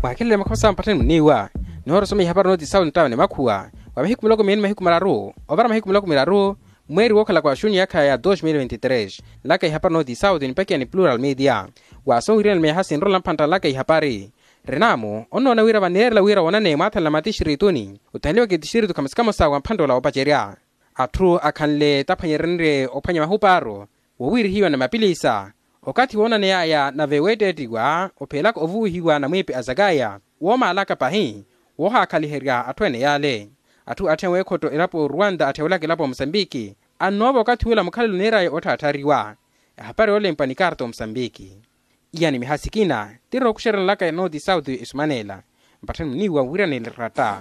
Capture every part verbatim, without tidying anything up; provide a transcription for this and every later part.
Mwaakhelele makhosa mpatthani muniiwa nihoora osoma ihapari nooti sawu nttawa ni makhuwa wa mahiku miloko miili ni mahiku mararu ovara mahiku miloko miraru mweeri wookhalaka wa xuni yaakha ya dos mil vinti tres. Nlaka ihapari nooti sawu nipakiya ni plural media. Waasowiryana ni meeha sinrola mphantta nlaka ihapari. Renaamu onnoona wira vaneerela wira woonaneye mwaathanle a matixtrituni othanliwaka etixtritu khamosa khamosa wa mphantta ola woopacerya. Atthu akhanle taphwanyerenrye ophwanya mahupaaro wowiirihiwa ni mapilisa okathi woonaney'aya nave weetteettiwa opheelaka ovuwihiwa na mwiipi a zakaya woomaalaka pahi woohaakhaliherya atthu ene yaale. Atthu atthenwe ekhotto elapo oruwanta atthewelaka elapo a musambiki annoova okathi ula mukhalelo niir'aya otthaatthariwa. Ehapari yoolempwa ni karta omusambiki. Iya ni miha sikina tirookuxerela nlaka nooti sauti esumanela mpatthani muniiwa wiiranela eratta.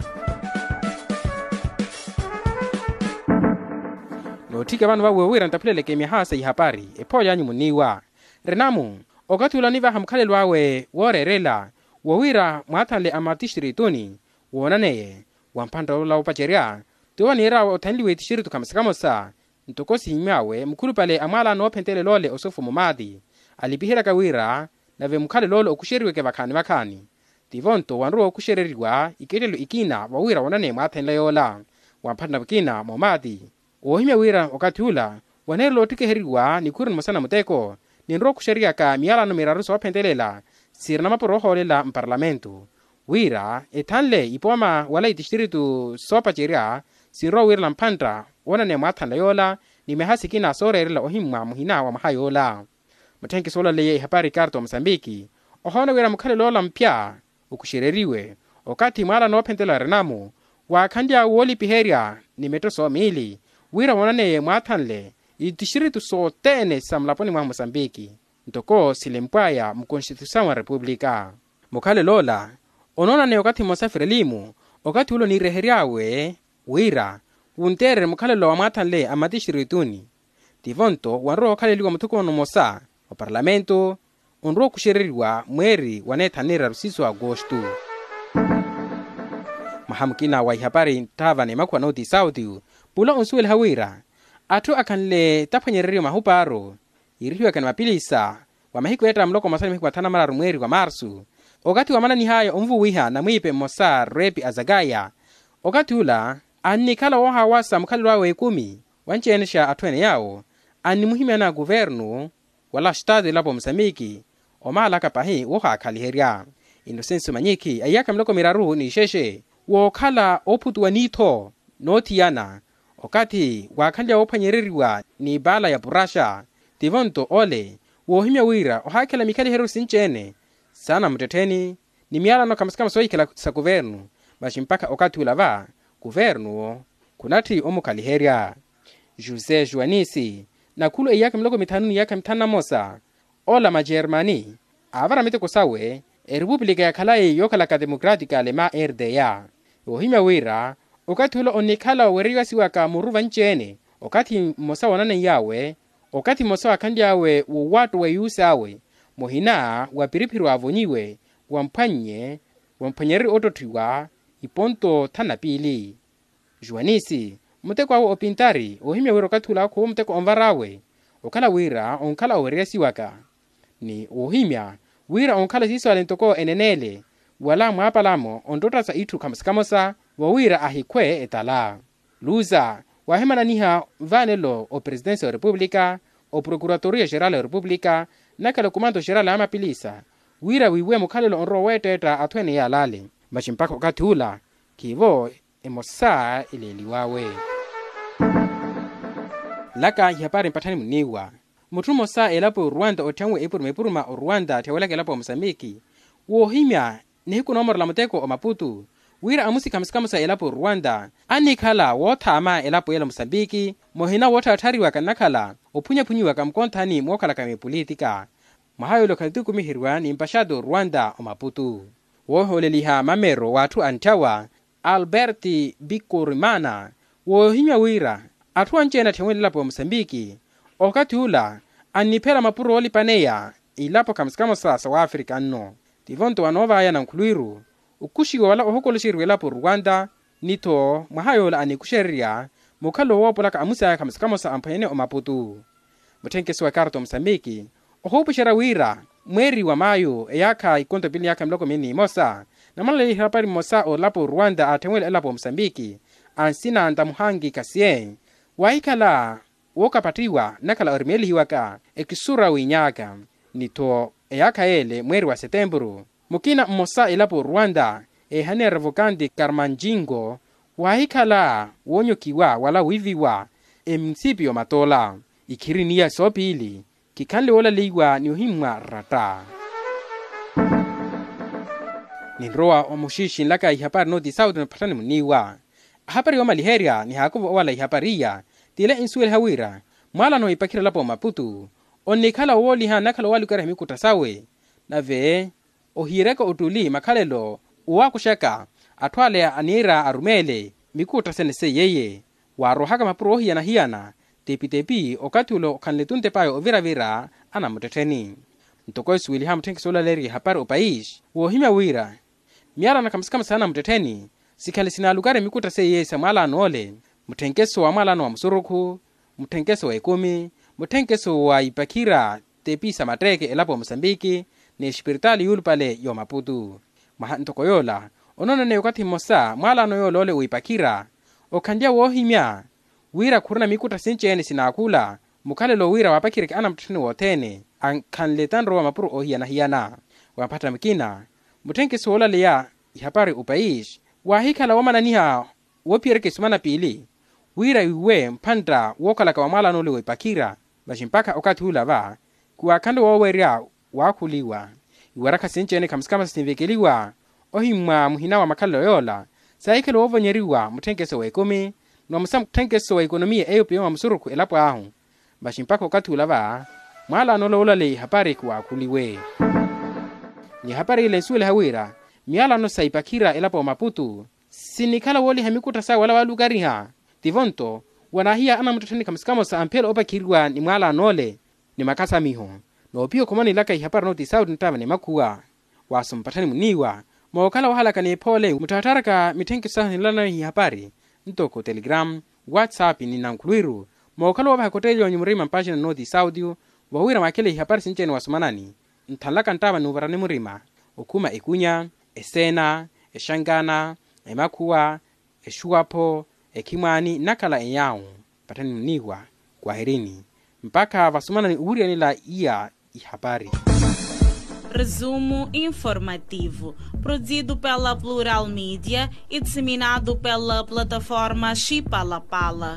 Nootthika vano vawe wira ntaphuleleke miha sa ihapari ephooly'anyu muniiwa. Renamu okathi ula onivaha mukhalelo awe wooreerela wowiira mwaathanle a matixtrituni woonaneye wa mphantta ola woopacerya. Tiwo niir'awe othanliwe etixtritu khamosa khamosa ntoko sihimmy'awe mukhulupale a mwaala noophentelela ole osofo mumaati alipiheryaka wira nave mukhalelo ole okuxeriweke vakhaani vakhaani. Tivo-nto wanrowa okuxereriwa ikettelo ikina vawiira woonaneye mwaathanle yoola wa mphantta mukina moomaati. Woohimya wira okathi ula waneerela oottikiheriwa nikhuru nimosa na muteko ninrowa okuxeriyaka miyalano miraru soophentelela sirina mapuro ohoolela mparlamento wira ethanle ipooma wala itixtiritu soopacerya sinrowa wiirela mphantta woonaneya mwaathanla yoola ni meha sikina sooreerela ohimmwa muhina wa mwaha yoola. Mutthenkiso oolaleya ihapari ikarta wa musambiki ohoona wira mukhalelo ola mupya okuxereriwe okathi mwaala noophentela renamu waakhanly'awe woolipiherya ni metto soomiili wira woonaneye mwaathanle itixtiritu sothene sa mulaponi mwa musambiki ntoko silempw'aya mukonstituisawu wa repupulika. Mukhalelo ola onoonaneya okathi mmosa firelimu okathi ula oniirehery'awe wira wunteererye mukhalelo wa mwaathanle a matixtirituni. Tivo-nto wanrowa okhaleliwa muthukumano mmosa wa parlamento onrowa okuxereriwa mweeri wa neethanu neeraru siiso agosto. Mwaha mukina wa ihapari ntthaava n'emakhuwa nootisa otiyu pula onsuweliha wira atthu akhanle taphwanyereriwa mahupaaro yiirihiwaka ni mapilisa wa mahiku eetta muloko mmosa ni mahiku mathanu na mararu mweeri wa marsu okathi wamananih'aya onvuwiha namwiipe mmosa repi a zakaya. Okathi ula annikhala woohaawasa mukhalelo awe ekumi wanci-ene xa atthu ene yaawo annimuhimyana kuvernu wala xtaatu elapo musambiki omaalaka pahi woohaakhaliherya. Inosensi manyikhi a iyaakha miloko miraru n'ixexe wookhala oophutuwa niitho noothiyana okathi waakhanlya woophwanyereriwa n'ipaala ya puraxa. Tivo-nto ole woohimya wira ohaakhela mikhaliheryo sinci-ene saana muttettheni ni miyalano khamosa khamosa soohikhela sa kuvernu. Masi mpakha okathi ula va kuvernu-wo khunatthi omukhaliherya. José juanisi nakhulu a iyaakha miloko mithanu ni iyaakha mithanu na mmosa ola majermani aavara miteko sawe erepupulika ya khalayi yookhalaka democratika alemã rda. Woohimya wira okathi ula onnikhala oweriyasiwaka muru vanci-ene okathi mmosa woonaneiyawe okathi mmosa waakhanly'awe wowattowa eyuusi awe muhina wa piriphiri waavonyiwe wamphwannye wamphwanyererye ottotthiwa iponto thanu na piili. Juanisi muteko awe opintari woohimya wira okathi ula akhuwa muteko onvar'awe okhala wira onkhala owereresiwaka ni woohimya wira onkhala siiso ale ntoko eneneele wala mwaapalamo onttotta sa itthu khamosa khamosa vawiira ahikhwe etala. Luza waahimananiha vaanelo opresidence wa repupulika oprokuratoriya xerala wa repupulika nnakhala okumanto xerala a mapilisa wira wiiwe mukhalelo onrowa oweetteetta atthu ene yaalale. Masi mpakha okathi ula khiivo emosa eleeliw'awe. Nlaka ihapari mpatthani muniiwa mutthu mmosa elapo oruwanta otthenwe epuruma epuruma oruwanta atthewelaka elapo a musambiki woohimya nihiku noomorela muteko omaputu wira amusi khamosa khamosa elapo oruwanta annikhala woothaama elapo ela musambiki muhina wootthaatthaariwaka nnakhala ophunyaphunyiwaka mukonthani mookhalaka mipulitika. Mwaha yoole okhala tikumiheryiwa ni mpaxaati oruwanta omaputu woohooleliha mamero w'atthu antthawa albert bikorimana woohimya wira atthu anci-ene atthewene elapo ya musambiki okathi ula anniphela mapuro oolipaneya ilapo khamosa khamosa sa waafrika nno. Tivo-nto wanoovaya nankhulwiru okuxiwa wala ohokoloxeriwa elapo oruwanta ni-tho mwaha yoole anikuxererya mukhalelo woopolaka amusi aya khamosa khamosa amphwanyene omaputu. Mutthenkeso wa ekarta omusambiki ohuupuxerya wira mweeri wa maayu eyaakha ikonto pili ni yaakha miloko mili n'imosa, namwalaleya ihapari mmosa oolapo oruwanta aatthemwela elapo omosambiki, ansina ntamuhangi kasiye, waahikhala wookapattiwa nnakhala orimeelihiwaka ekisura wiinyaaka. Ni-tho eyaakha yeele mweeri wa setempuru, mukina mmosa elapo oruwanta eehaneya revokanti karmanjingo, waahikhala woonyokiwa wala wiiviwa emunisipiyo matoola. Ikhirini iya soopiili khikhanle woolaleiwa ni ohimmwa ratta. Ninrowa omuxiixinlaka ihapari nooti sauti nophatthani muniiwa. Ahapari yoomaliherya nihaakuva owala ihapari iya, t'ile ensuweliha wira mwaalano w'ipakhira elapo omaputu onnikhala wooliha nnakhala owaalukariha mikutta sawe, nave ohiireke ottuli makhalelo owaakuxaka atthu ale aniira arumeele mikutta sene seiyeiye, waaroohaka mapuro oohiyana-hiyana tepi-tepi okathi ule okhanle-tu ntep'aya ovira-vira anamuttettheni. Ntoko esuweliha mutthenkeso oolaleerya ihapari opaisi woohimya wira miyalano khamusikhamusi anamuttettheni sikhanle sinaalukari mikutta seiye sa mwalano ole, mutthenkeso wa mwalano wa musurukhu, mutthenkeso wa ekumi, mutthenkeso wa ipakhira tepi sa matteeke elapo ya musambiki, n'exipiritaali yuulupale ya omaputu. Mwaha ntoko yoola onooneneya okathi mmosa mwalano yoola ole w'ipakhira okhanlya woohimya wira khurina mikutta sinci-ene sinaakhula mukhalelo wira waapakhireke anamuttettheni wothene ankhanle tanro wa mapuro oohiyana-hiyana. Wa mphatta mukina mutthenkeso woolaleya ihapari opaisi waahikhala woomananiha woophiyereke isumana piili wira wiiwe mphantta wookhalaka wa mwalano ole w'ipakhira. Masi mpakha okathi ula va khiwaakhanle woowerya waakhuliwa iwarakha sinci-ene khamusikhamusi sinvekeliwa ohimmwa muhina wa makhalelo yoola saahikhale woovonyeriwa mutthenkeso w'ekumi ni vamosa mutthenkeso wa ekonomiya eyo piyo mwa musurukhu elapo ahu. Masi mpakha okathi ula va mwalano ole woolaleya ihapari khiwaakhuliwe. Ni ihapari ile ensuweliha wira miyalano sa ipakhira elapo ya omaputu sinikhala wooliha mikutta sawe wala waalukariha tivo-nto wanaahiya anamuttettheni khamusikhamusi amphiyela oopakhiriwa ni mwalano ole ni makasamiho. Noopiya okhumanilaka ihapari nooti sauti nttaava ni makhuwa waaso mpatthani muniiwa mookhala wahalaka n'ephoole mutthattharaka mitthenkeso sahu ninlanayo ihapari ntoko telegram, whatsapp ni nankhulwiru mookhala woovaha ekotteeli yoonyu murima mpaxina nooti sauti. Vowira mwakhele ihapari sinci-ene wasomanani nthanlaka nttaava n'uvarani murima okhuma ekunya, eseena, exankana, emakhuwa, exuwapho, ekhimwaani nnakhala enyaawu. Patthani muniiwa kwahirini mpakha vasomanani owiriyanela iya ihapari. Resumo informativo, produzido pela Plural Mídia e disseminado pela plataforma Chipalapala.